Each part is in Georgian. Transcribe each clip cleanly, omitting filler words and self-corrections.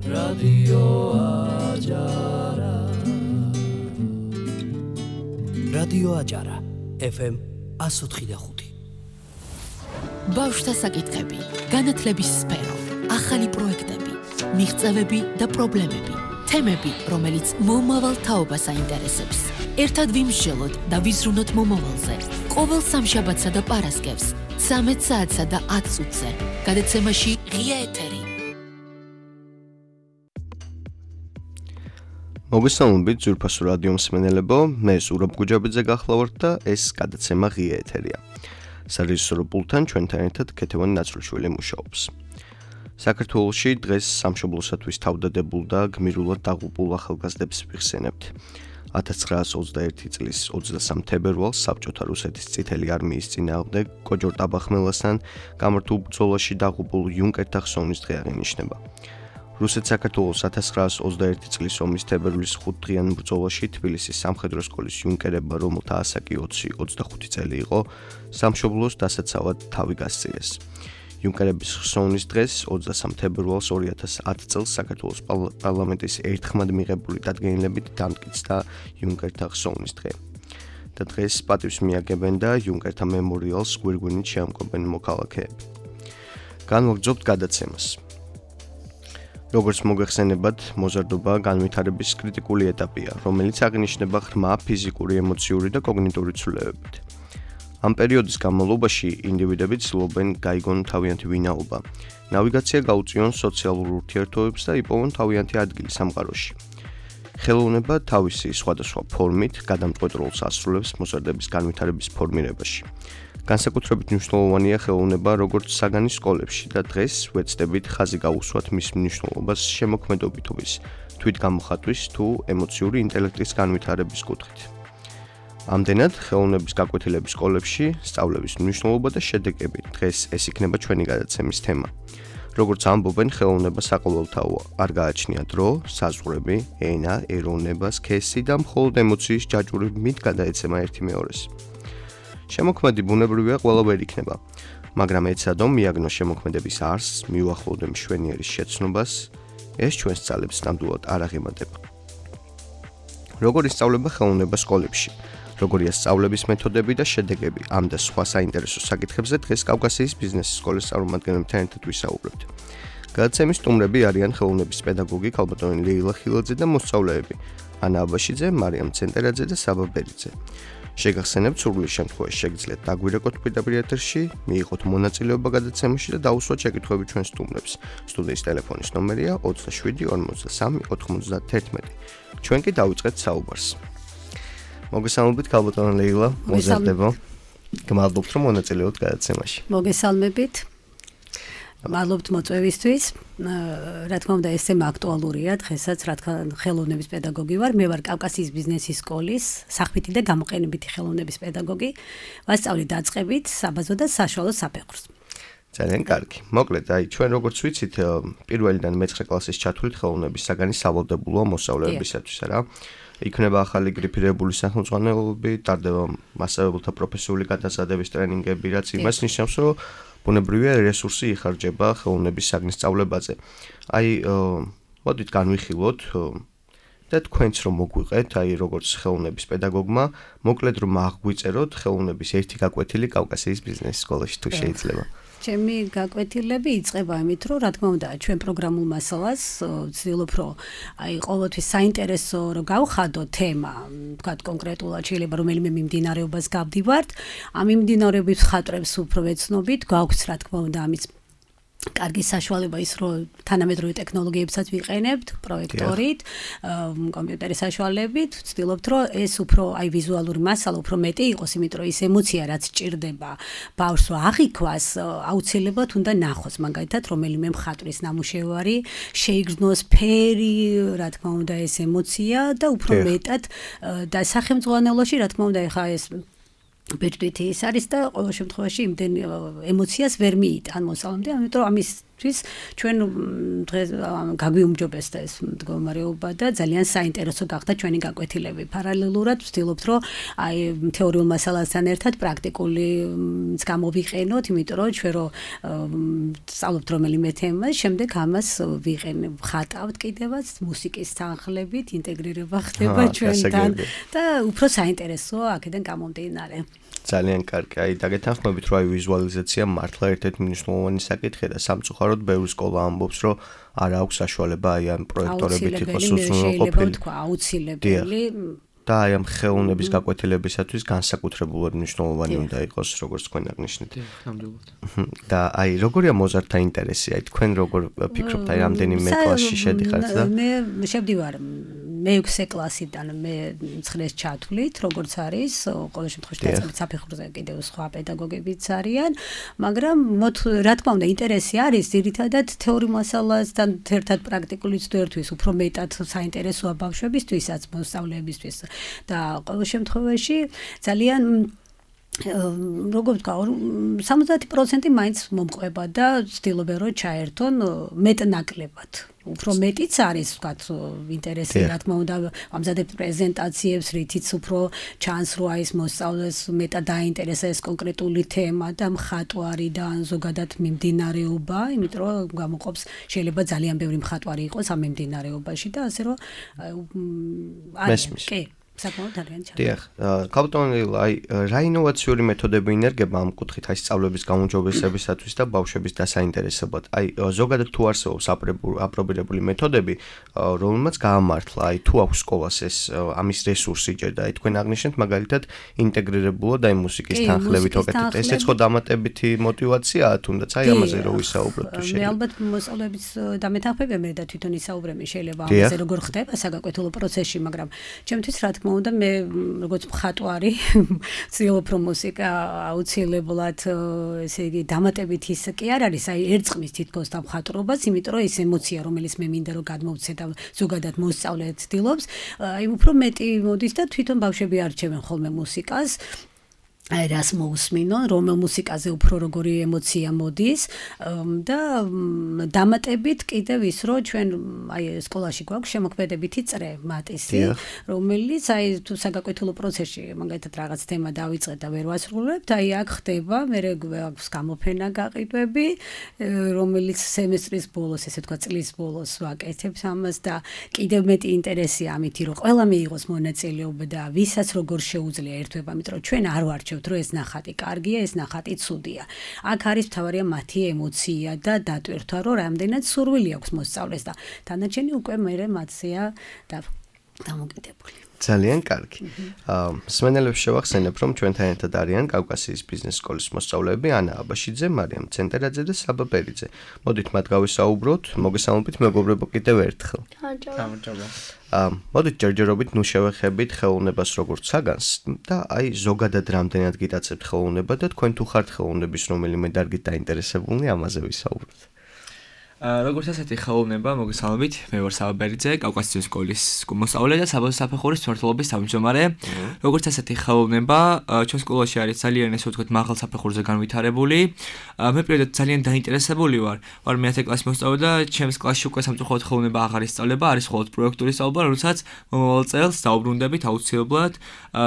რადიო აჯარა რადიო აჯარა FM 104.5 ბავშვთა საკითხები, განათლების სფერო, ახალი პროექტები, მიღწევები და პრობლემები, თემები, რომელიც მომავალ თაობას აინტერესებს. ერთად ვიმსჯელოთ და ვიზრუნოთ მომავალზე. ყოველ სამშაბათსა და პარასკევს, 13 საათსა და 10 წუთზე. გადაცემაში ღია ეთერი. მოგესალმებით ძვირფასო რადიო მსმენელებო, მე ზურაბ გუჯაბიძე გახლავართ და ეს გადაცემა ღია ეთერია. სარეჟისორო პულტთან ჩვენთან ერთად ქეთევანი ნაცრუშვილი მუშაობს. საქართველოში დღეს სამშობლოსათვის თავდადებულ და გმირულად დაღუპულ ახალგაზრდებს ვიხსენებთ. 1921 წლის 23 თებერვალს საბჭოთა რუსეთის წითელი არმიის წინააღმდეგ კოჯორ ტაბახმელასთან გამართულ ბრძოლაში დაღუპულ იუნკერთა ხსოვნის დღე აღინიშნება. რუსეთ-საქართველოს 1921 წლის ომის თებერვლის 5 დღიან ბრძოლაში თბილისის სამხედრო სკოლის იუნკერებმა, რომელთა ასაკი 20-25 წელი იყო, სამშობლოს დასაცავად თავი გასწიეს. იუნკერების ხსოვნის დღეს 23 თებერვალს 2010 წელს საქართველოს პარლამენტის ერთხმად მიღებული დადგენილებით დამტკიცდა იუნკერთა ხსოვნის დღე. და დღეს პატივს მიაგებენ და იუნკერთა მემორიალს გვირგვინით შეამკობენ მოქალაქეები. განვაგრძობთ გადაცემას. როგორც მოგეხსენებათ, მოზარდობა განვითარების კრიტიკული ეტაპია, რომელიც აღინიშნება ღრმა ფიზიკური, ემოციური და კოგნიტური ცვლილებებით. ამ პერიოდის განმავლობაში ინდივიდები ცდილობენ გაიგონ თავიანთი ვინაობა, ნავიგაცია გაუწიონ სოციალურ ურთიერთობებს და იპოვონ თავიანთი ადგილი სამყაროში. ხელოვნება თავისი სხვადასხვა ფორმით გადამწყვეტ როლს ასრულებს მოზარდების განვითარების ფორმირებაში. განსაკუთრებით მნიშვნელოვანია ხელოვნება როგორც საგანის სკოლებში და დღეს ვეცდებით ხაზი გავუსვათ მის მნიშვნელობას შემოქმედობითობის, თვითგამოხატვის თუ ემოციური ინტელექტის განვითარების კუთხით. ამდენად, ხელოვნების გაკვეთილების სკოლებში სწავლების მნიშვნელობა და შედეგები დღეს ეს იქნება ჩვენი გადაცემის თემა. როგორც ამბობენ, ხელოვნება საყოველთაოა, არ გააჩნია დრო, საზღვრები, ენა, ეროვნება, სქესი და მხოლოდ ემოციის ჯაჭვურებით გადაეცემა ერთი მეორეს. შემოქმედი ბუნებრივია, ყველა ვერ იქნება, მაგრამ ეცადო მიაგნო შემოქმედების არსს, მიუახლოვდე მშვენიერის შეცნობას, ეს ჩვენს ძალებს ნამდვილად არ აღემატება. როგორ ისწავლება ხელოვნება სკოლებში? როგორია სწავლების მეთოდები და შედეგები? ამ და სხვა საინტერესო საკითხებზე დღეს კავკასიის ბიზნესის სკოლის წარმომადგენლებთან ერთად ვისაუბრებთ. გადაცემის სტუმრები არიან ხელოვნების პედაგოგი ქალბატონი ლეილა ხილაძე და მოსწავლეები ანა აბაშიძე, მარიამ ცენტერაძე და საბა ბერიძე. შეგახსენებთ, სურვილის შემთხვევაში შეგიძლიათ დაგვირეკოთ პირდაპირ ეთერში, მიიღოთ მონაწილეობა გადაცემაში და დაუსვათ შეკითხვები ჩვენ სტუმრებს. სტუდიის ტელეფონის ნომერია 27 43 91. ჩვენ კი დავიწყეთ საუბარს. მოგესალმებით ქალბატონი ლეილა, მოზარდებო. გმადლობთ რომ მონაწილეობთ გადაცემაში. მოგესალმებით. მადლობთ მოწვევისთვის. რა თქმა უნდა, ეს თემა აქტუალურია დღესაც, რადგან ხელოვნების პედაგოგი ვარ. მე ვარ კავკასიის ბიზნესის სკოლის სახვითი და გამოყენებითი ხელოვნების პედაგოგი. ვასწავლი დაწყებით, საბაზო და საშუალო საფეხურს. ძალიან კარგი. მოკლედ, ჩვენ როგორც ვიცით, პირველიდან მე-9 კლასის ჩათვლით ხელოვნების საგანი სავალდებულოა მოსწავლეებისათვის, რა. იქნება ახალი გრიფირებული სახელმძღვანელოები, ტარდება მასწავლებელთა პროფესიული გადასადების ტრენინგები, რაც იმას ნიშნავს, რომ ბუნებრივია რესურსი იხარჯება ხელოვნების საგნის სწავლებაზე. მოდით განვიხილოთ და თქვენც რომ მოგვიყეთ, როგორც ხელოვნების პედაგოგმა, მოკლედ რომ აღგვიწეროთ ხელოვნების ერთი გაკვეთილი კავკასიის ბიზნესის სკოლაში თუ შეიძლება. ჩემი გაკვეთილები იწყება იმით, რომ რა თქმა უნდა, ჩვენ პროგრამულ მასალას ვცდილობ, რომ ყოველთვის საინტერესო რომ გავხადო თემა, თქვათ კონკრეტულად შეიძლება რომელიმე მიმდინარეობას გავდივართ, ამ მიმდინარეობის ხატრებს უფრო ვეცნობით, გვაქვს რა თქმა უნდა ამის კარგი საშუალება ის, რომ თანამედროვე ტექნოლოგიებსაც ვიყენებთ, პროექტორით, კომპიუტერის საშუალებით, ვცდილობთ, რომ ეს უფრო ვიზუალური მასალა უფრო მეტი იყოს, იმიტომ რომ ის ემოცია, რაც ჭირდება ბავშვს რომ აღიქვას, აუცილებლად უნდა ნახოს, მაგალითად, რომელიმე მხატვრის ნამუშევარი, შეიგრძნოს ფერი, რა თქმა უნდა, ეს ემოცია და უფრო მეტად და სახელმძღვანელოში, რა თქმა უნდა, ეხა ეს ბეჭდვითი ის არის და ყოველ შემთხვევაში იმდენ ემოციას ვერ მიიტან მოსწავლემდე, ამიტომ ამის თვის ჩვენ დღეს გაგვიუმჯობესდა ეს მდგომარეობა და ძალიან საინტერესო გახდა ჩვენი გაკვეთილები. პარალელურად ვცდილობთ რომ აი თეორიულ მასალასთან ერთად პრაქტიკული გამოვიყენოთ, იმიტომ რომ ჩვენ რო სწავლობთ რომელიმე თემას, შემდეგ ამას ვხატავთ კიდევაც მუსიკის თანხლებით, ინტეგრირება ხდება ჩვენთან და უფრო საინტერესოა აქედან გამომდინარე. ძალიან კარგი. აი დაგეთანხმებით რომ აი ვიზუალიზაცია მართლა ერთ-ერთი მნიშვნელოვანი საკითხია და სამწუხაროდ ბევრი სკოლა ამბობს რომ არ აქვს საშუალება აი ამ პროექტორებით იყოს უზრუნველყოფილი. აუცილებელი და აი ამ ხელოვნების გაკვეთილებისათვის განსაკუთრებულად მნიშვნელოვანი უნდა იყოს, როგორც თქვენ აღნიშნეთ. და აი როგორია მოზარდთა ინტერესი? აი თქვენ როგორ ფიქრობთ, აი რამდენიმე კლასში შედიხართ და მე შევდივარ მე-6 კლასიდან მე 9-ს ჩათვლით, როგორც არის, ყოველ შემთხვევაში დაწყებით საფეხურზე კიდევ სხვა პედაგოგებიც არიან, მაგრამ რა თქმა უნდა ინტერესი არის ძირითადად თეორიულ მასალასთან ერთად პრაქტიკული ცდერთვის, უფრო მეტად საინტერესოა ბავშვებისთვისაც, მოსწავლეებისთვის და ყოველ შემთხვევაში ძალიან როგორ ვთქვა 70% მაინც მომყვება და ვცდილობენ რომ ჩაერთონ მეტნაკლებად. უფრო მეტიც არის ვთქვათ ინტერესი რა თქმა უნდა ამზადებთ პრეზენტაციებს, რითიც უფრო ჩანს რომ აი ეს მოსწავლეს მეტად დაინტერესა ეს კონკრეტული თემა და მხატვარი და ზოგადად მიმდინარეობა, იმიტომ რომ გამოყოფს შეიძლება ძალიან ბევრი მხატვარი იყოს ამ მიმდინარეობაში და ასე რომ კი საკმაოდ ძალიან ჩა. დიახ, კაპიტონელი, აი რა ინოვაციური მეთოდები ინერგება ამ კუთხით აი სწავლების გაუმჯობესებისათვის და ბავშვების დასაინტერესებლად. აი ზოგადად თუ არსებობს აპრობირებული მეთოდები, რომელმაც გაამართლა, აი თუ აქვს სკოლას ეს ამის რესურსი ჯერ და აი თქვენ აღნიშნეთ მაგალითად ინტეგრირებულად აი მუსიკის თანხლებით ოკეთებთ. ესეც ხო დამატებითი мотиваციაა თუნდაც აი ამაზე რო ვისაუბროთ თუ შეიძლება. მე ალბათ მოსწავლეების დამეთანხმებია მე და თვითონ ისაუბრები შეიძლება ამაზე როგორ ხდება საგაკვეთილო პროცესში, მაგრამ ჩემთვის რა თქმა უნდა მე როგორც მხატვარი ვცდილობ რომ მუსიკა აუცილებლად ესე იგი დამატებით ის კი არ არის აი ერწყმის თითქოს და მხატვრობას, იმიტომ რომ ეს ემოცია რომელიც მე მინდა რომ გადმოვცე და ზოგადად მოსწავლე ცდილობს, აი უფრო მეტი მოდის და თვითონ ბავშვები არჩევენ ხოლმე მუსიკას. აი რას მოусმინონ, რომელ მუსიკაზე უფრო როგორი ემოცია მოდის და დამატებით კიდევ ის რომ ჩვენ აი სკოლაში გვაქვს შემოქმედებითი წრე მატისი, რომელიც აი თუ საგაკვეთილო პროცესში მაგალითად რაღაც თემა დავიწყეთ და ვერ ვასრულებთ, აი აქ ხდება, მე გვაქვს გამოფენა გაყიდვები, რომელიც სემესტრის ბოლოს, ესე თქვა წლის ბოლოს ვაკეთებთ ამას და კიდევ მეტი ინტერესია ამითი რომ ყველა მიიღოს მონაწილეობა და ვისაც როგორ შეუძლია ერთვება, იმიტომ რომ ჩვენ არ ვარჩევთ რომ ეს ნახატი კარგია, ეს ნახატი ცუდია. აქ არის მთავარია მათი ემოცია და დატვირთვა, რომ რამდენად სურვილი აქვს მოსწავლეს და დანარჩენი უკვე მერე მათზეა დამოკიდებული. ძალიან კარგი. მსმენელებს შევახსენებ, რომ ჩვენთან ერთად არიან კავკასიის ბიზნეს სკოლის მოსწავლეები ანა აბაშიძე, მარიამ ცენტერაძე და საბა პერიძე. მოდით მათ გავისაუბროთ, მოგესალმებით მეგობრებო კიდევ ერთხელ. მოდით ჯერჯერობით ნუ შევეხებით ხელოვნებას როგორც საგანს და აი ზოგადად რამდენად გიტაცებთ ხელოვნება და თქვენ თუ ხართ ხელოვნების რომელიმე დარგით დაინტერესებული, ამაზე ვისაუბროთ. როგორც ასეთი ხელოვნება, მოგესალმებით, მე ვარ საბა პერიძე, კავკასიის სკოლის მოსწავლე და საბაზაფეხურის მმართველობის თავმჯდომარე. როგორც ასეთი ხელოვნება, ჩვენ სკოლაში არის ძალიან ესე ვთქვათ მაღალ საფეხურზე განვითარებული. მე პირადად ძალიან დაინტერესებული ვარ მე-10 კლასის მოსწავლე და ჩემს კლასში უკვე სამწუხაროდ ხელოვნება აღარ ისწავლება, არის მხოლოდ პროექტული სწავლება, როდესაც მომავალ წელს დაუბრუნდებით აუცილებლად.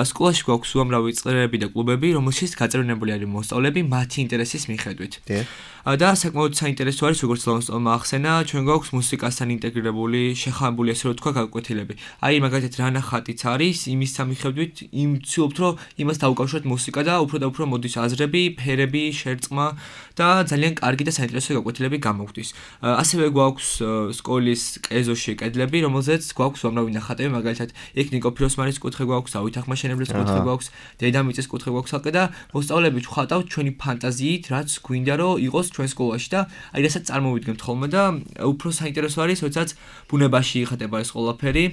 სკოლაში გვაქვს უამრავი წრეები და კლუბები, რომელშიც გაწევრიანებული არის მოსწავლეები მათი ინტერესის მიხედვით. და საკმაოდ საინტერესო არის როგორც მოსწავლემა ახსენა, ჩვენ გვაქვს მუსიკასთან ინტეგრირებული, შეხამებული ასე რომ თქვა გაკვეთილები. აი მაგალითად რა ნახატიც არის, იმის სამიხედვით, ვცდილობთ რომ იმას დავუკავშიროთ მუსიკა და უფრო და უფრო მოდის აზრები, ფერები, შერწყმა და ძალიან კარგი და საინტერესო გაკვეთილები გამოგვდის. ასევე გვაქვს სკოლის კეზოში კედლები, რომელზეც გვაქვს უამრავი ნახატები, მაგალითად იქ ნიკო ფიროსმანის კუთხე გვაქვს, დავით ახმაშენებლის კუთხე გვაქვს, დედამიწის კუთხე გვაქვს ალყე და მოსწავლეები ვხატავთ ჩვენი ფანტაზიით, რაც გვინდა რომ იყოს ჩვენ სკოლაში და აი რასაც წარმოვიდგენთ ხოლმე და უფრო საინტერესო არის, როდესაც ბუნებაში იხატება ეს ყველაფერი.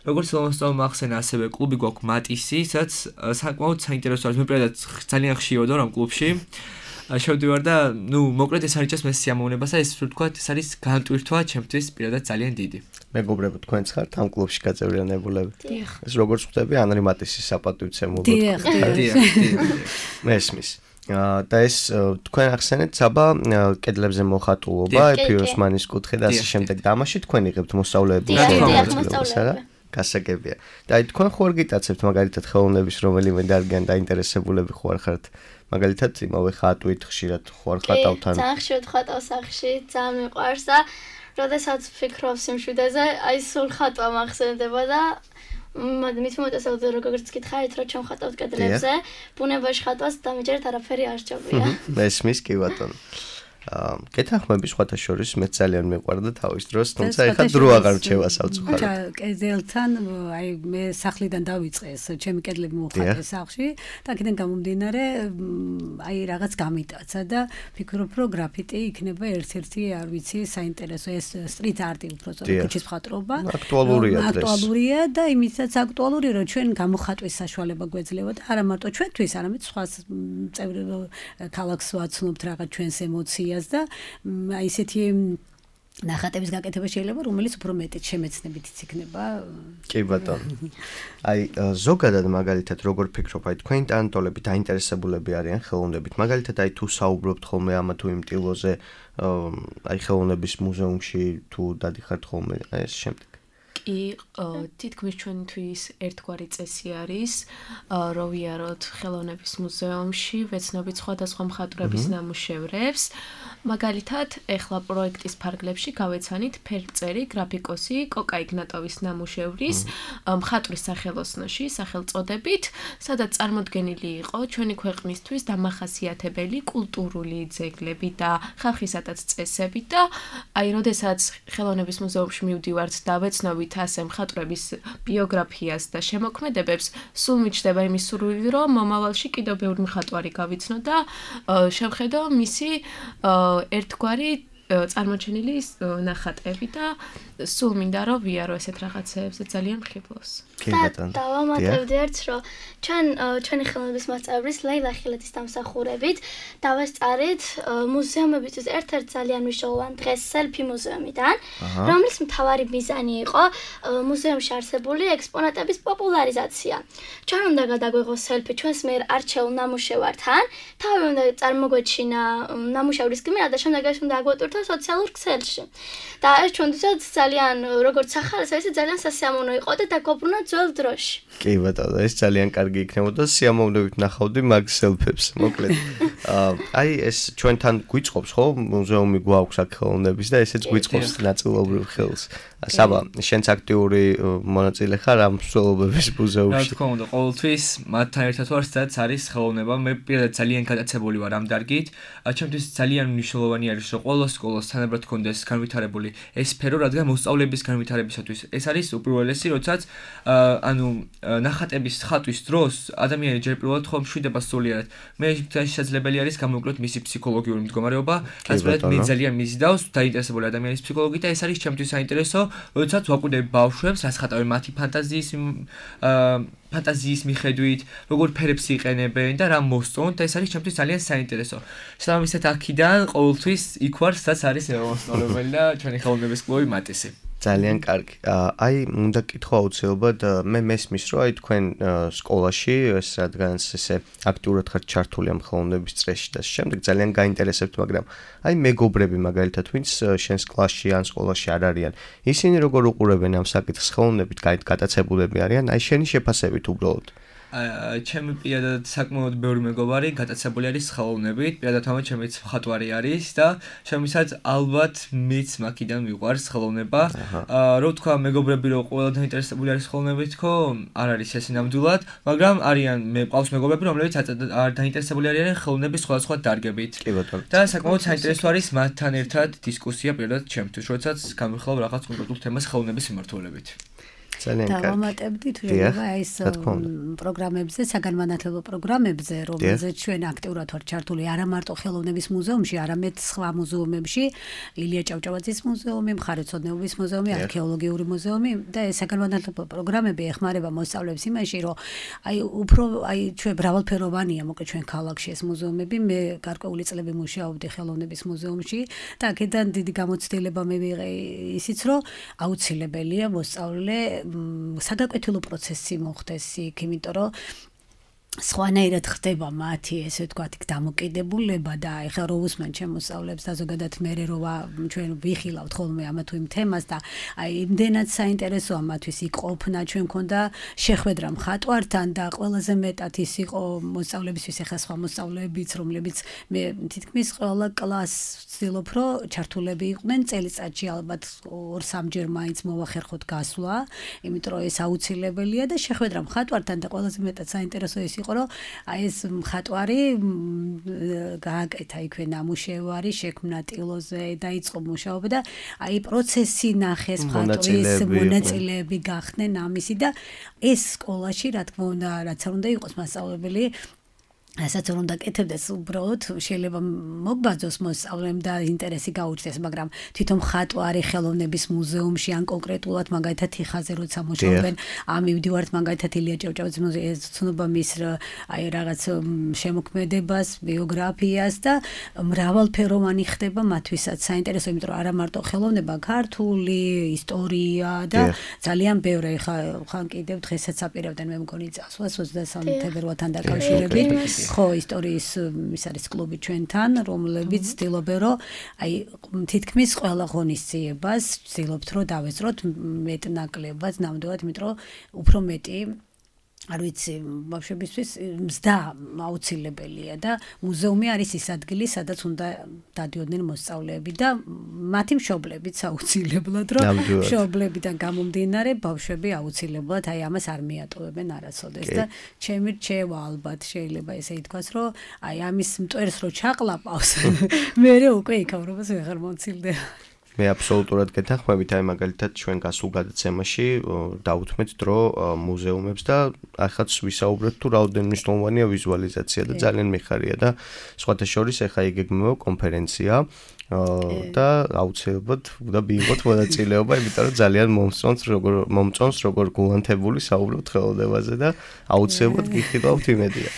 როგორც მოსწავლემა ახსენა, ასევე კლუბი გვაქვს მატისი, სადაც საკმაოდ საინტერესო არის. მე პირადად ძალიან ხშირად ვარ ამ კლუბში. შევდივარ და ნუ მოკლედ ეს არის ჩემს სიამოვნებას და ეს ვთქვათ, ეს არის განტვირთვა ჩემთვის პირადად ძალიან დიდი. მეგობრებო, თქვენც ხართ ამ კლუბში გაწევრიანებულები? ეს როგორც ხვდები, ანრი მატისის საპატივცემულოდ. დიახ. მესმის. და ეს თქვენ ახსენეთ საბა კედლებზე მოხატულობა, ფიროსმანის კუთხე და ასე შემდეგ და ამაში თქვენ იღებთ მოსწავლეების გასაგებია. და აი თქვენ ხوار გიტაცებთ მაგალითად ხელოვნების რომელიმე დარგიან დაინტერესებულები ხوار ხართ? მაგალითად იმავე ხატვით ხშირად ხوار ხატავთან. ძალიან ხშირად ხატავ სახში, ძალიან მიყვარს და როდესაც ვფიქრობ სიმშვიდეზე, აი სულ ხატვა მახსენდება და მით მომწესებთ როგორც გითხარით, რომ ჩვენ ხატავთ კედლებზე, ბუნებაში ხატვას დამიჯერეთ არაფერი არ სჭირდება. მესმის კი ბატონო. კეთახმები სხვათა შორის მე ძალიან მიყვარდა თავის დროს, თუმცა ეხლა დრო აღარ რჩევა საწყობად. კედელთან აი მე სახლიდან დავიწყე ეს ჩემი კედლები მოხატე სახლში და აქედან გამომდინარე აი რაღაც გამიტაცა და ფიქრობ რომ გრაფიტი იქნება ერთ-ერთი არ ვიცი საინტერესო ეს სტრიტ არტი უბრალოდ ქუჩის მხატვრობა. აქტუალურია და იმისაც აქტუალური რომ ჩვენ გამოხატვის საშუალება გვეძლევა და არა მარტო ჩვენთვის, არამედ სხვა წევრი ქალაქს ვაცნობთ რაღაც ჩვენს ემოციას და აი ესეთი ნახატების გაკეთება შეიძლება რომელიც უფრო მეტი შემეცნებითიც იქნება. კი ბატონო. აი ზოგადად მაგალითად როგორ ფიქრობ აი თქვენი ტანტოლები დაინტერესებულები არიან ხელოვნებით. მაგალითად აი თუ საუბრობთ ხოლმე ამა თუ იმ ტილოზე აი ხელოვნების მუზეუმში თუ დადიხართ ხოლმე აი ეს შემდეგ. კი, თითქმის ჩვენთვის ერთგვარი წესი არის, რომ ვიაროთ ხელოვნების მუზეუმში, ვეცნობით სხვადასხვა მხატვრების ნამუშევრებს. მაგალითად, ეხლა პროექტის ფარგლებში გავეცანით ფერმწერი, გრაფიკოსი კოკა იგნატოვის ნამუშევრის მხატვრის სახელოსნოში, სახელწოდებით, სადაც წარმოდგენილი იყო ჩვენი ქვეყნისთვის დამახასიათებელი კულტურული ძეგლები და ხალხისადაც წესები და აი, როდესაც ხელოვნების მუზეუმში მივდივართ და ვეცნობით ასე მხატვრების ბიოგრაფიას და შემოქმედებებს, სულ მიჩნდება იმის სურვილი, რომ მომავალში კიდევ ბევრი მხატვარი გავიცნო და შევხედო მისი ერთგვარი წარმოჩენილი ნახატები და სულ მინდა რომ ვიარო ესეთ რაღაცეებზე ძალიან მხიბლოს. დავამატებდი ერთ რომ ჩვენი ხელოვნების მასწავლებლის ლეილა ხილეთის დამსახურებით დავესწარით მუზეუმებისთვის ერთ-ერთ ძალიან მნიშვნელოვან დღეს სელფი მუზეუმიდან, რომლის მთავარი მიზანი იყო მუზეუმში არსებული ექსპონატების პოპულარიზაცია. ჩვენ უნდა გადაგვეღოს სელფი ჩვენს მიერ არჩეულ ნამუშევართან, თავი უნდა წარმოგვეჩინა ნამუშევრის გმირა და შემდეგ ეს უნდა აგვატვირთო სოციალურ ქსელში. და ეს ჩვენთვისაც ძალიან როგორც სახალხო ძალიან სასიამოვნო იყო და დაგობრუნა ძველ დროში. კი ბატონო, ეს ძალიან კარგი იქნებოდა სიამოვნებით ნახავდი მაგ სელფებს, მოკლედ. აი ეს ჩვენთან გვიწყობს ხო მუზეუმი გვაქვს აქ ხელოვნების და ესეც გვიწყობს ნაწილობრივ ხელს. საბა, შენც აქტიური მონაწილე ხარ ამ მსვლელობების მუზეუმში? რა თქმა უნდა, ყოველთვის მათთან ერთად ვარ, სადაც არის ხელოვნება. მე პირადად ძალიან გადაცებული ვარ ამ დარგით. ჩემთვის ძალიან მნიშვნელოვანი არის, რომ ყველა სკოლას თანაბრად კონდეს განვითარებული ეს სფერო, რადგან მოსწავლეების განვითარებისათვის ეს არის უპირველესი, როდესაც ანუ ნახატების ხატვის დროს ადამიანი ჯერ პირველად ხომ მშვიდება სულიერად. მე შესაძლებელი არის გამოვიკლოთ მისი ფსიქოლოგიური მდგომარეობა, ასეთ მე ძალიან მიზიდავს დაინტერესებული ადამიანის ფსიქოლოგიით და ეს არის ჩემთვის საინტერესო, როდესაც ვაკვირდები ბავშვებს, რას ხატავენ მათი ფანტაზიის მიხედვით, როგორ ფერებს იყენებენ და რა მოსწონთ და ეს არის ჩემთვის ძალიან საინტერესო. შესაბამისად აქედან ყოველთვის იქ ვარ, სადაც არის მოსწავლებელი და ჩვენი ხელოვნების კლუბი მატისი. ძალიან კარგი. აი, უნდა კითხვა აუცილებლად, მე მესმის, რომ აი თქვენ სკოლაში, ეს რადგანაც ესე აქტიურად ხართ ჩართული ამ ხელოვნების წრეში და შემდეგ ძალიან გაინტერესებთ, მაგრამ აი მეგობრები მაგალითად, ვინც შენს კლასში ან სკოლაში არ არიან, ისინი როგორ უყურებენ ამ საკითხს ხელოვნებით, გატაცებულები არიან, აი შენი შეფასებით უბრალოდ. ჩემი პირადად საკმაოდ ბევრი მეგობარი გატაცებული არის ხელოვნებით, პირადად ამათ ჩემიც მხატვარი არის და შემისაც ალბათ მეც მაქიდან მიყვარს ხელოვნება. რო თქვა მეგობრები რომ ყველა დაინტერესებული არის ხელოვნებით, ხო, არ არის ეს ნამდვილად, მაგრამ არიან მყავს მეგობრები, რომლებიც არ დაინტერესებული არიან ხელოვნების სხვადასხვა დარგებით. კი ბატონო. და საკმაოდ საინტერესო არის მათთან ერთად დისკუსია პირადად ჩემთვის, როდესაც გამიხილავ რაღაც კონკრეტულ თემას ხელოვნების მიმართულებით. დავამატებდი თუ შეიძლება ეს პროგრამებზე, საგანმანათლებლო პროგრამებზე, რომელზეც ჩვენ აქტიურად ვართ ჩართული არა მარტო ხელოვნების მუზეუმში, არამედ სხვა მუზეუმებში, ილია ჭავჭავაძის მუზეუმი, მხარეთმცოდნეობის მუზეუმი, არქეოლოგიური მუზეუმი და ეს საგანმანათლებლო პროგრამები ეხმარება მოსწავლეებს იმაში, რომ აი უფრო აი ჩვენ მრავალფეროვანია, მოკლედ ჩვენ ქალაქში ეს მუზეუმები, მე გარკვეული წლები მუშაობდი ხელოვნების მუზეუმში და აქედან დიდი გამოცდილება მე ვიღე ისიც, რომ აუცილებელია მოსწავლე საგაკვეთილო პროცესი მოხდეს იქ, იმიტომ რომ სხვანაირად ხდება მათი ესე ვთქვათ დამოკიდებულება და ეხლა რო უსმენ ჩემ მოსწავლეებს და ზოგადად მე რო ჩვენ ვიხილავთ ხოლმე ამა თუ იმ თემას და აი იმდენად საინტერესოა მათთვის იყოფნა ჩვენ მქონდა შეხვედრა მხატვართან და ყველაზე მეტად ის იყო მოსწავლებისთვის ეხლა სხვა მოსწავლეებიც რომლებიც მე თითქმის ყველა კლასს ვცდილობ რომ ჩართულები იყვნენ წელიწადში ალბათ 2-3 მაინც მოვახერხოთ გასვლა იმიტომ რომ ეს აუცილებელია და შეხვედრა მხატვართან და ყველაზე მეტად საინტერესო ის იყო რომ აი ეს მხატვარი გააკეთა იქვე ნამუშევარი შექმნა ტილოზე დაიწყო მუშაობა და აი პროცესი ნახეს მხატვრის მონაწილეები გახდნენ ამისი და ეს სკოლაში რა თქმა უნდა რაც არ უნდა იყოს მასწავლებელი ასაც არ უნდა კეთებდეს უბრალოდ შეიძლება მოგბაძოს მოსწავლემ და ინტერესი გაუჩნდეს მაგრამ თვითონ მხატვარი ხელოვნების მუზეუმში ან კონკრეტულად მაგალითად თიხაზე როცა მუშაობენ ამივდივართ მაგალითად ილია ჭავჭავაძის მუზეუმში ცნობა მის აი რაღაც შემოქმედებას ბიოგრაფიას და მრავალფეროვანი ხდება მათთვისაც საინტერესო იმიტომ რომ არა მარტო ხელოვნება ქართული ისტორია და ძალიან ბევრი ხან კიდევ დღესაც აპირებდნენ მე მგონი წასვლას 23 თებერვალთან დაკავშირებით ხო ისტორიის ის არის კლუბი ჩვენთან რომლებიც ცდილობენ რომ აი თითქმის ყველა ღონისძიებას ცდილობთ რომ დავესწროთ მეტნაკლებად ნამდვილად იმიტომ რომ უფრო მეტი არ ვიცი ბავშვებისთვის მზდა აუცილებელია და მუზეუმი არის ის ადგილი სადაც უნდა დადიოდნენ მოსწავლეები და მათი მშობლებიც აუცილებლად რომ მშობლებიდან გამომდინარე ბავშვები აუცილებლად აი ამას არ მიატოვებენ არასოდეს და ჩემი რჩევა ალბათ შეიძლება ესე ითქვას რომ აი ამის მტვერს რო ჩაყლაპავს მე უკვე იქავრობას ვეღარ მომცილდება მე აბსოლუტურად გეთანხმებით აი მაგალითად ჩვენ გასულ გადაცემაში დავუთმეთ დრო მუზეუმებს და ახაც ვისაუბრეთ თუ რაოდენ მნიშვნელოვანია ვიზუალიზაცია და ძალიან მიხარია და სხვათა შორის ახლა იგეგმება კონფერენცია და აუცილებლად უნდა მიიღოთ მონაწილეობა იმიტომ რომ ძალიან მომწონს როგორ გულანთებული საუბრობთ ხელოვნებაზე და აუცილებლად გიხილავთ იმედია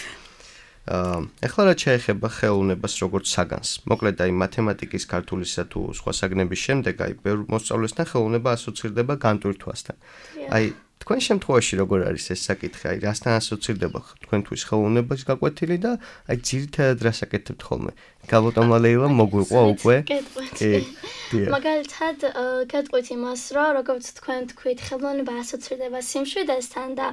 ეხლა რა შეეხება ხელოვნებას როგორც საგანს. მოკლედ აი მათემატიკის ქართულისა თუ სხვა საგნების შემდეგ აი ბევრ მოსწავლესთან ხელოვნება ასოცირდება განტვირთვასთან. აი თქვენ შემთხვევაში როგორ არის ეს საკითხი? აი რასთან ასოცირდება თქვენთვის ხელოვნების გაკვეთილი და აი ძირითადად რას აკეთებთ ხოლმე? გალოტომა ლეილა მოგვიყვა უკვე? მაგალითად გეტყვით იმას რომ როგორც თქვენ თქვით ხელოვნება ასოცირდება სიმშვიდესთან და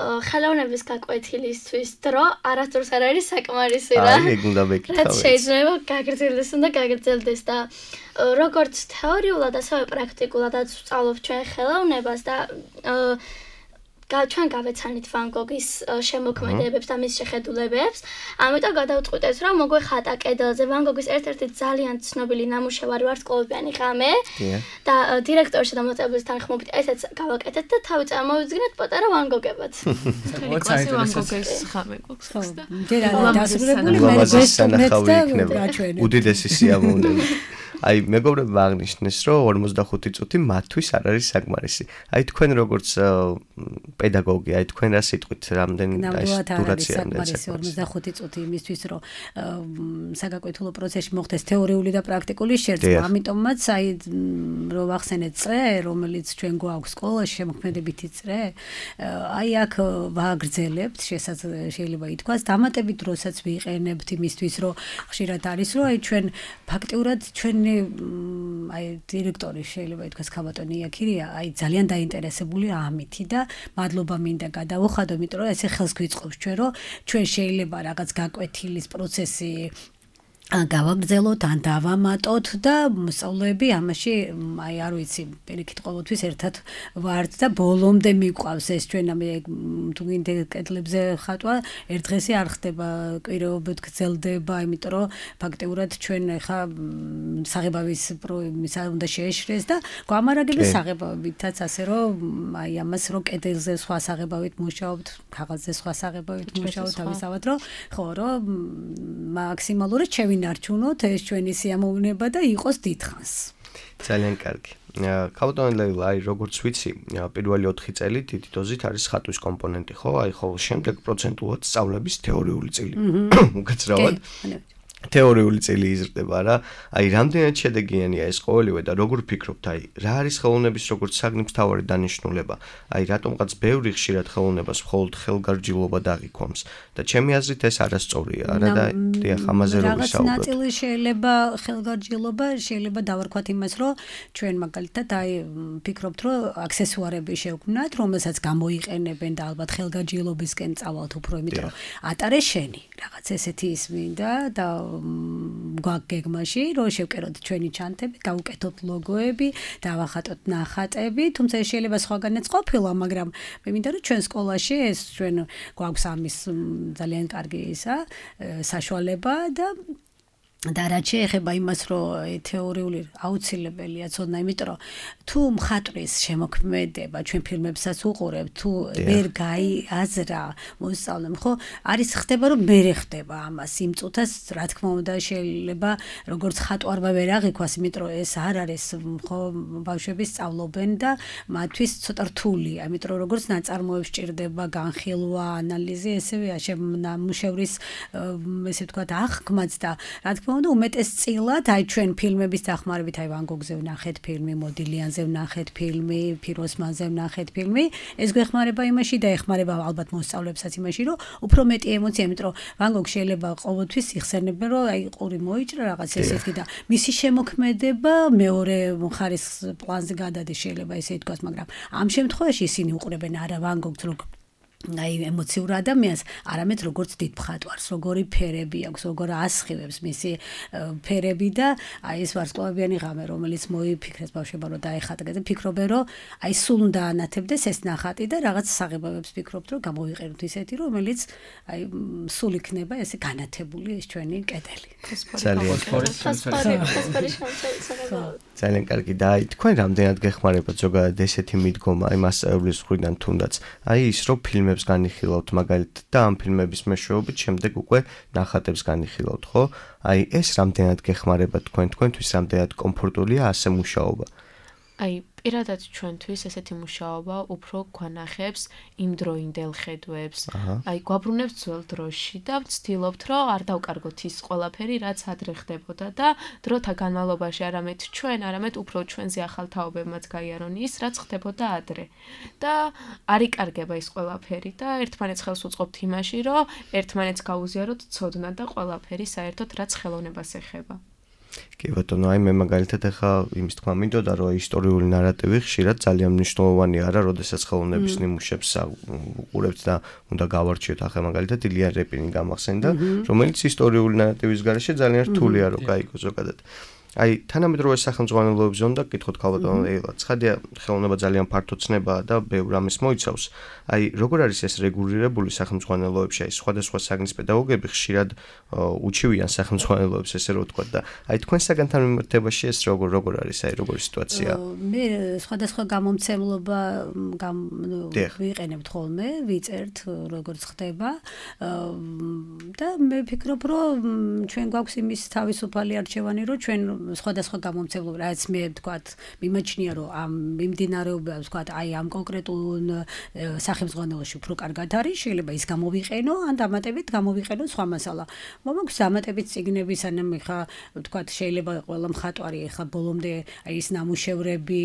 ხელოვნების გაკვეთილისთვის დრო არასდროს არ არის საკმარისი რა. აი ეგ უნდა მეკითხავ. რაც შეიძლება გაგრძელდეს და გაგრძელდეს და როგორც თეორიულად ასევე პრაქტიკულადაც ვსწავლობთ ჩვენ ხელოვნებას და ჩვენ გავეცანით ვან გოგის შემოქმედებებს და მის შეხედულებებს. ამიტომ გადავწყვიტეთ რომ მოგვეხატა კედელზე ვან გოგის ერთ-ერთი ძალიან ცნობილი ნამუშევარი ვარსკვლავიანი ღამე და დირექტორში და მოწვევის თანხმობით ესეც გავაკეთეთ და თავი წარმოვიდგინეთ პატარა ვან გოგებად. კლასი ვან გოგის ღამე გვაქვს და დასრულებული მე სანახავი იქნება. უდიდესი სიამოვნება. აი მეგობრებმა აღნიშნეს რომ 45 წუთი მათთვის არ არის საკმარისი. აი თქვენ როგორც პედაგოგი, აი თქვენ რა სიტყვით რამდენი დურაცია საკმარისი 45 წუთი იმისთვის რომ საგაკვეთილო პროცესში მოხდეს თეორიული და პრაქტიკული შერწყმა. ამიტომაც აი რომ ვახსენეთ წრე, რომელიც ჩვენ გვაქვს სკოლაში შემოქმედებითი წრე, აი აქ ვაგრძელებთ, შეიძლება ითქვას, დამატებით დროსაც ვიყენებთ იმისთვის რომ ხშირად არის რომ აი ჩვენ ფაქტიურად ჩვენი აი დირექტორი შეიძლება ითქვას ქაბატონი იაქირია აი ძალიან დაინტერესებული ამითი და მადლობა მინდა გადავუხადო იმიტომ რომ ესე ხელს გვიწყობს ჩვენ რომ ჩვენ შეიძლება რაღაც გაკვეთილის პროცესი გავაგრძელოთ ან დავამატოთ და მოსწავლეები ამაში აი არ ვიცი პირიქით ყოველთვის ერთად ვართ და ბოლომდე მიყვავს ეს ჩვენ ამ თუ გინდა კედლებზე ხატვა ერთ დღესი არ ხდება კვირაობით გრძელდება იმიტომ რომ ფაქტიურად ჩვენ ხა საღებავის პრომისა უნდა შეეშრეს და გვამარაგებდა საღებავითაც ასე რომ აი ამას რომ კედელზე სხვა საღებავით მუშაობთ ქაღალდზე სხვა საღებავით მუშაობთ თავისავად რომ ხო რომ მაქსიმალურად არჩუნოთ ეს ჩვენი სიამოვნება და იყოს დიდხანს. ძალიან კარგი. ქაბატონი ლეილა, აი როგორც ვიცი, პირველი 4 წელი დიდი დოზით არის ხატვის კომპონენტი, ხო? აი ხოლმე შემდეგ პროცენტულად სწავლების თეორიული წილი. უკაცრავად. თეორიული წილი იზრდება რა. აი რამდენად შედეგიანია ეს ყოველივე და როგორ ფიქრობთ, აი რა არის ხელოვნების როგორც საგნის მთავარი დანიშნულება? აი რატომღაც ბევრი ხშირად ხელოვნებას მხოლოდ ხელგარჯილობა დაღიქვამს და ჩემი აზრით ეს არასწორია, არა და დიახ, ამაზე რო ვისაუბროთ. რაღაც ნაწილი შეიძლება ხელგარჯილობა, შეიძლება დავარქვათ იმას, რომ ჩვენ მაგალითად აი ფიქრობთ, რომ აქსესუარები შევქმნათ, რომელსაც გამოიყენებენ და ალბათ ხელგარჯილობისკენ წავალთ უფრო, იმიტომ რომ ატარე შენი, რაღაც ესეთი ის მინდა და გვაგეგმაში რომ შევკეროთ ჩვენი ჩანთები, გავუკეთოთ ლოგოები, დავახატოთ ნახატები, თუმცა შეიძლება სხვაგანაც ყოფილა, მაგრამ მე მინდა რომ ჩვენ სკოლაში ეს ჩვენ გვაქვს ამის ძალიან კარგი ისა საშუალება და რაც შეეხება იმას, რომ თეორიული აუცილებელია ცოდნა, იმიტომ რომ თუ მხატვრის შემოქმედება ჩვენ ფილმებსაც უყურებთ, თუ ვერ გაიაზრა მოსწავლემ, ხო, არის ხდება რომ მერე ხდება ამას იმ წუთას, რა თქმა უნდა, შეიძლება როგორც ხატვარმა ვერ აღიქვას, იმიტომ რომ ეს არ არის, ხო, ბავშვები სწავლობენ და მათთვის ცოტა რთულია, იმიტომ რომ როგორც ნაწარმოებს ჭირდება განხილვა, ანალიზი, ესევეა შემნამუშევრის ესე ვთქვათ აღქმაც და რა თქმა უნდა უმეტესწილად აი ჩვენ ფილმების დახმარებით აი ვან გოგზე ვნახეთ ფილმი, მოდილიანზე ვნახეთ ფილმი, ფიროსმანზე ვნახეთ ფილმი, ეს გვეხმარება იმაში და ეხმარება ალბათ მოსწავლებსაც იმაში, რომ უფრო მეტი ემოცია, იმიტომ რომ ვან გოგ შეიძლება ყოველთვის იხსენებენ, რომ აი ყური მოიჭრა რაღაც ესეთი და მისი შემოქმედება მეორე ხარისხის პლანზე გადადის, შეიძლება ესე ითქვას, მაგრამ ამ შემთხვევაში ისინი უყურებენ არა ვან გოგს, აი ემოციურ ადამიანს, არამედ როგორც დიდ მხატვარს, როგორი ფერები აქვს, როგორ ასხივებს მისი ფერები და აი ეს ვარსკვლავიანი ღამე, რომელიც მოიფიქრეს ბავშვებმა, რომ დაეხატა და ფიქრობენ, რომ აი სულ უნდა ანათებდეს ეს ნახატი და რაღაც საღებავებს ფიქრობთ, რომ გამოვიყენოთ ისეთი, რომელიც აი სულ იქნება ესე განათებული ეს ჩვენი კედელი. ძალიან კარგი და აი თქვენ რამდენად გეხმარებათ ზოგადად ესეთი მიდგომა აი მასწავლებლის მხრიდან თუნდაც აი ის რომ ფილმებს განიხილავთ მაგალითად და ამ ფილმების მეშვეობით შემდეგ უკვე ნახატებს განიხილავთ, ხო? აი ეს რამდენად გეხმარება თქვენთვის რამდენად კომფორტულია ასე მუშაობა? აი პირადად ჩვენთვის ესეთი მუშაობა უფრო გვანახებს იმდროინდელ ხედვებს. აი გვაბრუნებს ძველ დროში და ვცდილობთ, რომ არ დავკარგოთ ის ყველაფერი, რაც ადრე ხდებოდა და დროთა განმავლობაში არამედ უფრო ჩვენზე ახალ თაობებმაც გაიარონ ის, რაც ხდებოდა ადრე. და არ იკარგება ის ყველაფერი და ერთმანეთს ხელს უწყობთ იმაში, რომ ერთმანეთს გაუზიაროთ ცოდნა და ყველაფერი საერთოდ რაც ხელოვნებას ეხება. კი ბატონო, აი მე მაგალითად ახლა იმის თქვა მინდოდა, რომ ისტორიული ნარატივი ხშირად ძალიან მნიშვნელოვანია რა, როდესაც ხელოვნების ნიმუშებს უყურებთ და უნდა გავარჩიოთ. ახლა მაგალითად ილია რეპინი გამახსენდა, რომელიც ისტორიული ნარატივის გარეშე ძალიან რთულია რომ გაიგო ზოგადად. აი თანამედროვე სახელმძღვანელოებზე უნდა გკითხოთ ქალბატონო ეილა, ცხადია ხელოვნება ძალიან ფართო ცნებაა და ბევრ ამის მოიცავს. აი როგორ არის ეს რეგულირებული სახელმძღვანელოებში? აი სხვადასხვა საგნის პედაგოგები ხშირად უჩივიან სახელმძღვანელოებს, ესე რომ ვთქვა და აი თქვენ საგანთან მიმართებაში ეს როგორ არის, აი როგორი სიტუაცია? მე სხვადასხვა გამომცემლობა ვიყენებთ ხოლმე, ვიწერთ როგორც ხდება და მე ვფიქრობ, რომ ჩვენ გვაქვს იმის თავისუფალი არჩევანი, რომ ჩვენ სხვადასხვა გამომცემლობა, რაც მე ვთქვათ, მიმაჩნია, რომ ამ მიმდინარეობა, ვთქვათ, აი ამ კონკრეტულ სახელმძღვანელოში უფრო კარგად არის, შეიძლება ის გამოვიყენო, ან დამატებით გამოვიყენო სხვა მასალა. მომაქვს დამატებით წიგნები, სანამ ხა ვთქვათ, შეიძლება ყველა მხატვარი ხა ბოლომდე აი ის ნამუშევრები,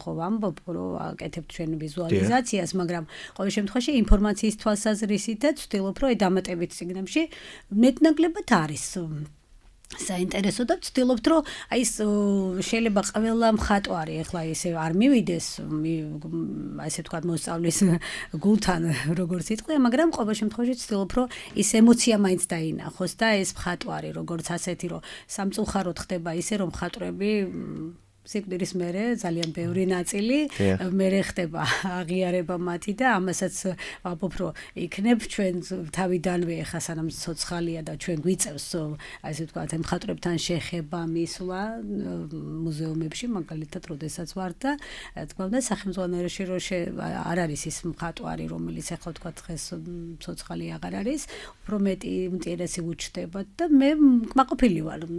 ხო ვამბობ, რომ აკეთებთ ჩვენ ვიზუალიზაციას, მაგრამ ყოველ შემთხვევაში ინფორმაციის თვალსაზრისითაც ვცდილობ, რომ აი დამატებით წიგნებში მეტნაკლებად არის საინტერესო და ვცდილობთ, რომ აი ეს შეიძლება ყველა მხატვარი ახლა ესე არ მივიდეს, ასე ვთქვათ, მოსწავლის გულთან, როგორც იტყვია, მაგრამ ყოველ შემთხვევაში ვცდილობ, რომ ის ემოცია მაინც დაინახოს და ეს მხატვარი, როგორც ასეთი, რომ სამწუხაროდ ხდება ისე, რომ მხატვრები სიკვდილის მერე ძალიან ბევრი ნაწილი მერე ხდება აღიარება მათი და ამასაც ვამბობ, რომ იქნებ ჩვენ თავიდანვე ხა სანამ ცოცხალია და ჩვენ გვიწევს ასე ვთქვათ მხატვრებთან შეხება მისვლა მუზეუმებში მაგალითად როდესაც ვარ და თქვა და სახელმძღვანელოში რომ არ არის ის მხატვარი რომელიც ახლა ვთქვათ დღეს ცოცხალი აღარ არის უფრო მეტი ინტერესი უჩნდება და მე კმაყოფილი ვარ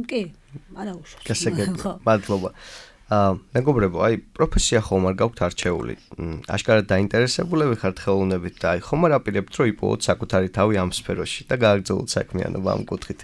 კი არა უშავს მადლობა. მეგობრებო, აი პროფესია ხომ არ გაქვთ არჩეული. აშკარად დაინტერესებულები ხართ ხელოვნებით და აი ხომ არ აპირებთ რომ იპოვოთ საკუთარი თავი ამ სფეროში და გააგრძელოთ საქმიანობა ამ კუთხით.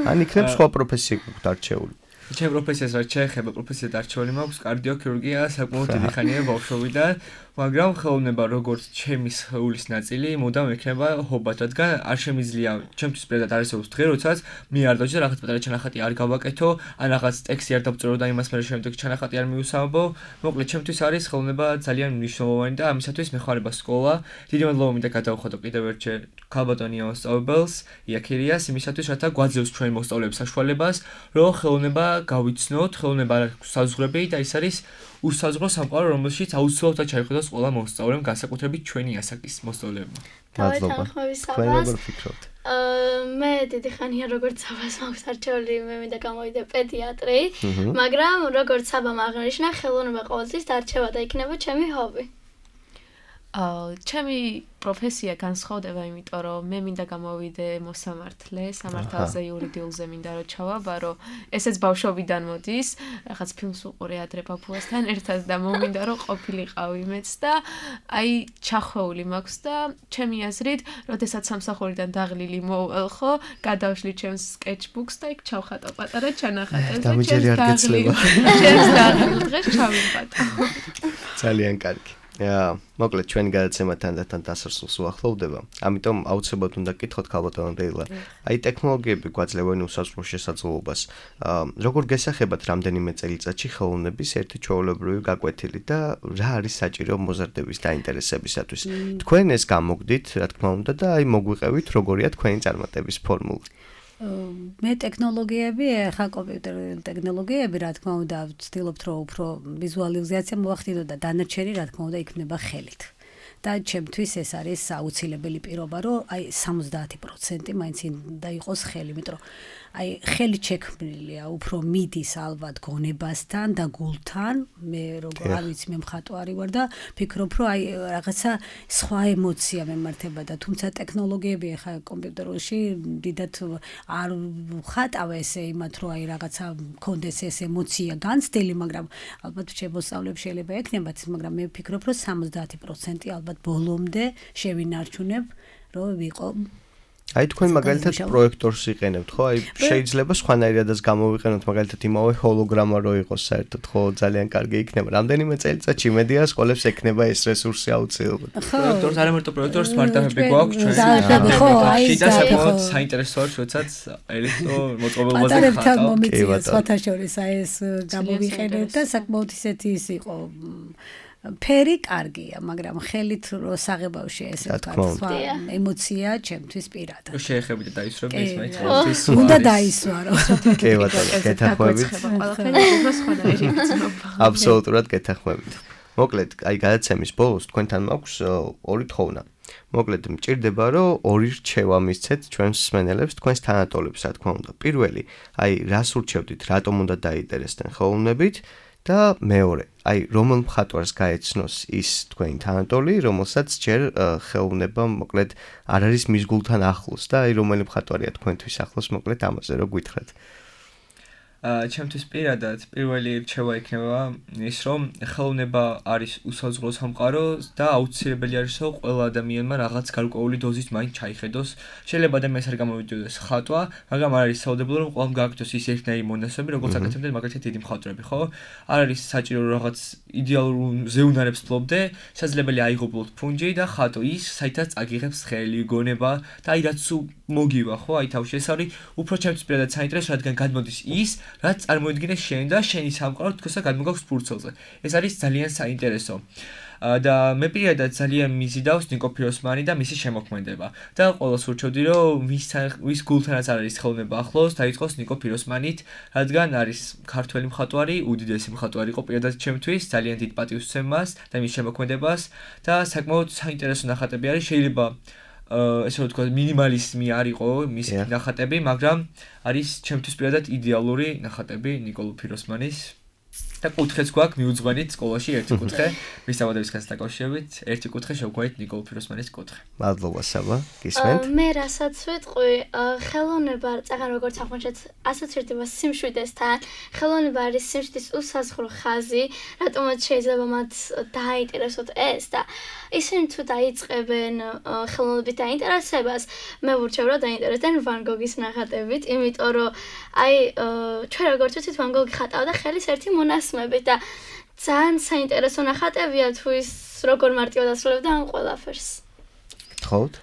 ან იქნებ სხვა პროფესია გაქვთ არჩეული. ჩემ პროფესიას რაც შეეხება, პროფესიად არჩეული მაქვს კარდიოქირურგია, საკმაოდ დიდი ხანია ბავშვობიდან, მაგრამ ხელოვნება როგორც ჩემი სხეულის ნაწილი, მუდამ ექნება ჰობად, რადგან არ შემიძლია ჩემთვის პრედად არსებობს დღე, როდესაც მე არ დავჭერ რაღაც პატარა ჩანახატი არ გავაკეთო, ან რაღაც ტექსტი არ დავწერო და იმას მე შემდეგ ჩანახატი არ მიუსამბო. მოკლედ, ჩემთვის არის ხელოვნება ძალიან მნიშვნელოვანი და ამისათვის მეხარება სკოლა. დიდი მადლობა მინდა გადავხადო კიდევ ერთჯერ ქალბატონი მოსწავლებელს, იაქირიას, იმისათვის, რათა გვაძლევს ჩვენი მოსწავლეების საშუალებას, რომ ხელოვნება გავიცნოთ, ხელოვნება საზღვრები და ის არის უსაზღვრო სამყარო, რომელშიც აუცილებლად ჩაიხედოს ყველა მოსწავლემ, განსაკუთრებით ჩვენი ასაკის მოსწავლეებმა. მადლობა. თქვენ როგორ ფიქრობთ? მე დიდი ხანია როგორც საბას მაქვს არჩეული, მე მინდა გამოვიდე პედიატრი, მაგრამ როგორც საბამ აღნიშნა, ხელოვნება ყოველთვის დარჩება და იქნება ჩემი ჰობი. ჩემი პროფესია განსხვავდება, იმიტომ რომ მე მინდა გამოვიდე მოსამართლე, სამართალზე, იურიდიულზე მინდა რომ ჩავაბარო. ესეც ბავშვობიდან მოდის, რაღაც ფილმს უყურე ადრე ბაბუასთან ერთად და მომინდა რომ ყოფილიყავი მეც და აი ჩახვეული მაქვს და ჩემი აზრით, როდესაც სამსახურიდან დაღლილი მოვალ ხო, გადავშლი ჩემს sketchbooks და იქ ჩავხატო პატარა ჩანახატებს და ჩემს დაღლილ დღეს ჩავიხატო. ძალიან კარგი. მოკლედ ჩვენი გადაცემა თანდათან დასასრულს უახლოვდება. ამიტომ აუცილებლად უნდა გკითხოთ ქალბატონო დეილა. აი ტექნოლოგიები გვაძლევენ უსაზღვრო შესაძლებლობას. როგორ გესახებათ რამდენიმე წელიწადში ხელოვნების ერთი ჩვეულებრივი გაკვეთილი და რა არის საჭირო მოზარდების დაინტერესებისათვის? თქვენ ეს გამოგდით, რა თქმა უნდა და აი მოგვიყევით როგორია თქვენი წარმატების ფორმულა. მე ტექნოლოგიები, ახლა კომპიუტერული ტექნოლოგიები, რა თქმა უნდა, ვცდილობთ რომ უფრო ვიზუალიზაცია მოვახდინო და დანარჩენი, რა თქმა უნდა, იქნება ხელით. და ჩემთვის ეს არის აუცილებელი პირობა, რომ აი 70% მაინც უნდა იყოს ხელი, მეტყვი აი ხელი შექმნილია, უფრო მიდის ალბათ გონებასთან და გულთან. მე როგორ არ ვიცი, მე მხატვარი ვარ და ფიქრობ, რომ აი რაღაცა სხვა ემოცია მემართება და თუმცა ტექნოლოგიები ახლა კომპიუტერში დიდათ არ ხატავ ესე იმათ, რომ აი რაღაცა მქონდეს ეს ემოცია განცდილი, მაგრამ ალბათ შემოსავლებს შეიძლება ექნებათ, მაგრამ მე ვფიქრობ, რომ 70% ალბათ ბოლომდე შევინარჩუნებ, რომ ვიყო აი თქვენ მაგალითად პროექტორს იყენებთ, ხო? აი შეიძლება სხვანაირადაც გამოვიყენოთ, მაგალითად იმავე ჰოლოგრამა რო იყოს საერთოდ, ხო, ძალიან კარგი იქნება. რამდენიმე წელიწადში მედია სკოლებს ექნება ეს რესურსი აუცილებლად. პროექტორს არ ამერტო პროექტორს სმარტფონები გვაქვს ჩვენ. ხო, აი და საკმაოდ საინტერესო არის, როდესაც ელექტრო მოწყობილობაზე ხატავ. პატარებთან მომიწია სხვათა შორის აი ეს გამოვიყენებ და საკმაოდ ისეთი ის იყო ფერი კარგია, მაგრამ ხელით რო საღებავში ესე სხვა ემოცია ჩემთვის პირადად. რო შეეხებით და დაისვები ეს მაინც ხელთვის. უნდა დაისვარო. კი ბატონო, გეთანხმებით. აბსოლუტურად გეთანხმებით. მოკლედ, აი გადაცემის ბოლოს თქვენთან მაქვს ორი თხოვნა. მოკლედ, მჭირდება რომ ორი რჩევა მისცეთ ჩვენს მსმენელებს, თქვენს თანატოლებს, რა თქმა უნდა. პირველი, აი რას ურჩევდით, რატომ უნდა დაინტერესდნენ ხელოვნებით? და მეორე, აი რომელ მხატვარს გაეცნოს ის თქვენი თანატოლი, რომელსაც ჯერ ხელოვნება მოკლედ არ არის მის გულთან ახლოს და აი რომელი მხატვარია თქვენთვის ახლოს, მოკლედ ამაზე რო გითხრათ. ჩემთვის პირადად პირველი რჩევა იქნება ის, რომ ხელოვნება არის უსაზღვრო სამყარო და აუცილებელი არის, რომ ყველა ადამიანმა რაღაც გარკვეული დოზით მაინც ჩაიხედოს. შეიძლება ადამიანს არ გამოვიდოდეს ხატვა, მაგრამ არ არის საუდებელო, რომ ყველამ გააკეთოს ის ერთნაირი მონაცემები, როგორც აკეთებდნენ მაგალითად დიდი მხატვრები, ხო? არ არის საჭირო რაღაც იდეალურ ზეუნარებს ფლობდე, შესაძლებელი აიღობლოთ ფუნჯი და ხატო ის, საითაც აგიღებს ხელი, გონება და აი რაც მოგივა, ხო? აი თავში ეს არის უფრო ჩემთვის პირადად საინტერესო, რადგან გადმოდის ის რაც წარმოიდგინე შენ და შენი სამყარო თქოსა გადმოგაქვს ფურცელზე. ეს არის ძალიან საინტერესო. და მე პირადად ძალიან მიზიდავს ნიკო ფიროსმანი და მისი შემოქმედება. და ყოველს ურჩევდი, რომ ვის გულთანაც არის ხელოვნება ახლოს, დაიწყოს ნიკო ფიროსმანით, რადგან არის ქართველი მხატვარი, უდიდესი მხატვარი იყო პირადად ჩემთვის, ძალიან დიდ პატივს ვცემ და მის შემოქმედებას და საკმაოდ საინტერესო ნახატები არის, შეიძლება ესე რომ თქვა მინიმალიზმი არ იყო მისი ნახატები, მაგრამ არის ჩემთვის პირადად იდეალური ნახატები ნიკოლო ფიროსმანის და კუთხეც გვაქვს მიუძღვენით სკოლაში ერთი კუთხე ვის საბადოებისგან დაკავშირებით ერთი კუთხე შევგვარით ნიკოლ ფიროსმანის კუთხე. მადლობა საბა, გისმენთ? მე რასაც ვიტყვი, ხელოვნება წაღან როგორც აღმოჩნდეთ ასოცირდება სიმშვიდესთან, ხელოვნება არის სიმშვიდის უსაზღვრო ხაზი, რატომაც შეიძლება მათ დააინტერესოთ ეს და ისინი თუ დაიწყებენ ხელოვნებით დაინტერესებას, მე ვურჩევ რომ დაინტერესდნენ ვან გოგის ნახატებით, იმიტომ რომ ჩვენ როგორც ვიცით ვან გოგი ხატავდა ხელის ერთი მონასმებით და ძალიან საინტერესო ნახატებია თუ ის როგორ მარტივად ასრულებდა ამ ყველაფერს. გთხოვთ?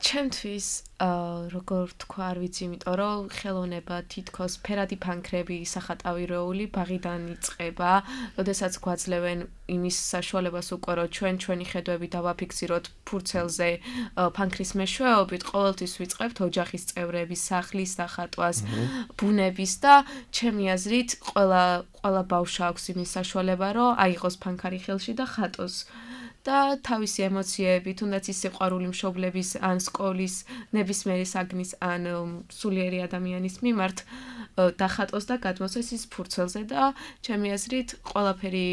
ჩემთვის როგორ თქვა არ ვიცი, იმიტომ რომ ხელოვნება თითქოს ფერადი ფანქრები სახატავი როული ბაღიდან იწყება, როდესაც გვაძლევენ იმის საშუალებას უკვე რომ ჩვენი ხედვები დავაფიქსიროთ ფურცელზე ფანქრის მეშვეობით, ყოველთვის ვიწყებთ ოჯახის წევრების სახლის დახატვას, ბუნების და ჩემი აზრით ყველა ბავშვს აქვს იმის საშუალება რომ აიღოს ფანქარი ხელში და ხატოს. და თავისი ემოციები, თუნდაც ის სიყვარული მშობლების ან სკოლის ნებისმიერი საგნის ან სულიერი ადამიანის მიმართ დახატოს და გადმოსცეს ის ფურცელზე და ჩემი აზრით ყველაფერი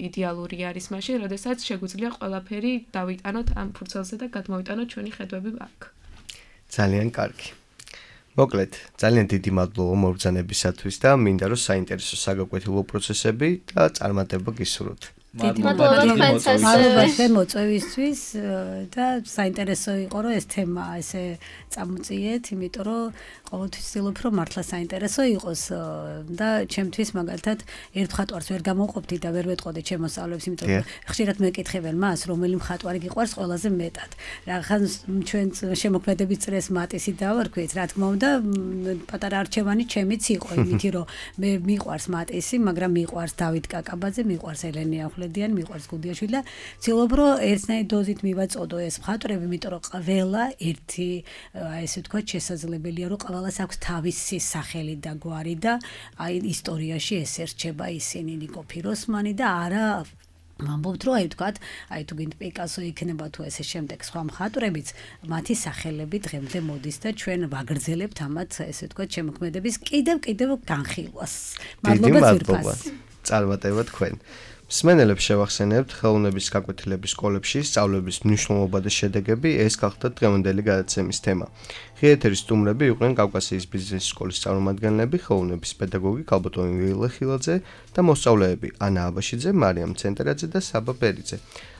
იდეალური არის მაშინ, როდესაც შეგვიძლია ყველაფერი დავიტანოთ ამ ფურცელზე და გადმოვიტანოთ ჩვენი ხედვები აქ. ძალიან კარგი. მოკლედ, ძალიან დიდი მადლობა მობრძანებისათვის და მინდა რომ საინტერესო საგაკვეთილო პროცესები და წარმატება გისურვოთ. მადლობა მოწვევისთვის და საინტერესო იყო რომ ეს თემა ესე წამოწიეთ, იმიტომ რომ ყოველთვის ვცდილობ რომ მართლა საინტერესო იყოს და ჩემთვის მაგალითად ერთ მხატვარს ვერ გამოვყოფდი და ვერ ვეტყოდი ჩემ მოსწავლეებს, იმიტომ რომ ხშირად მეკითხებენ მას, რომელი მხატვარი გიყვარს ყველაზე მეტად. რახან ჩვენ შემოქმედების წრეს მატისი დავარქვით, რა თქმა უნდა, პატარა არჩევანი ჩემიც იყო, იმითი რომ მე მიყვარს მატისი, მაგრამ მიყვარს დავით კაკაბაძე, მიყვარს ელენე ახვლედიანი, მიყვარს გუდიაშვილი და ვცდილობ რომ ერთნაირი დოზით მივაწოდო ეს მხატვრები, იმიტომ რომ ყველა ერთი ესე ვთქვათ შესაძლებელია რომ ყველას აქვს თავისი სახელი და გვარი და აი ისტორიაში ეს ერჩება ისინი ნიკო ფიროსმანი და არა ვამბობთ რომ აი ვთქვათ, აი თუ გინდ პიკასო იქნება თუ ესე შემდეგ სხვა მხატვრებიც, მათი სახელები დღემდე მოდის და ჩვენ ვაგრძელებთ ამათ ესე ვთქვათ შემოქმედების კიდევ განხილვას. მადლობა ძირფას. წარმატება თქვენ. მსმენელებს შევახსენებთ ხელოვნების გაკვეთილების სკოლებში სწავლების მნიშვნელობა და შედეგები, ეს გახდა დღევანდელი გადაცემის თემა. ღიეთერის სტუმრები იყვნენ კავკასიის ბიზნეს სკოლის წარმომადგენლები, ხელოვნების პედაგოგი ქალბატონი ვილე-ხილაძე და მოსწავლეები ანა აბაშიძე, მარიამ ცენტერაძე და საბა ბერიძე.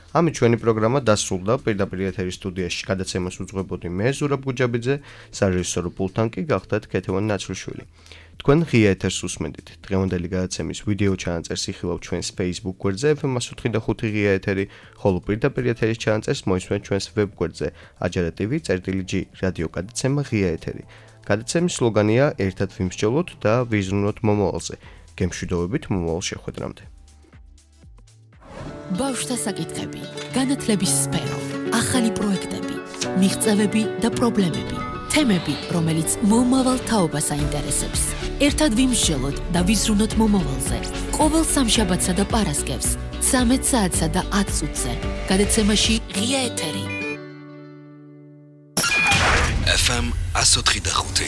ამით ჩვენი პროგრამა დასრულდა. პირდაპირ ეთერის სტუდიაში გადაცემას უძღვებოდი მე ზურაბ გუჯაბიძე, სარეჟისორო პულტთან კი გახდათ ქეთევან ნაცრუშვილი. თქვენ ღია ეთერს უსმენთ. დღევანდელი გადაცემის ვიდეო ჩანაწერს იხილავთ ჩვენს Facebook გვერდზე FM105 ღია ეთერი, ხოლო პირდაპირ ეთერის ჩანაწერს მოისმენთ ჩვენს ვებ გვერდზე ajara.tv/g რადიო გადაცემა ღია ეთერი. გადაცემის სლოგანია ერთად ვიმსჯელოთ და ვიზრუნოთ მომავალზე. გემშვიდობებით მომავალ შეხვედრამდე. ბავშვთა საკითხები, განათლების სფერო, ახალი პროექტები, მიღწევები და პრობლემები, თემები, რომელიც მომავალ თაობას აინტერესებს. ერთად ვიმსჯელოთ და ვიზრუნოთ მომავალზე. ყოველ სამშაბათსა და პარასკევს, 13 საათსა და 10 წუთზე. გადაცემაში ღია ეთერი. FM 105.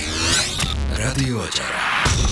რადიო აჯარა.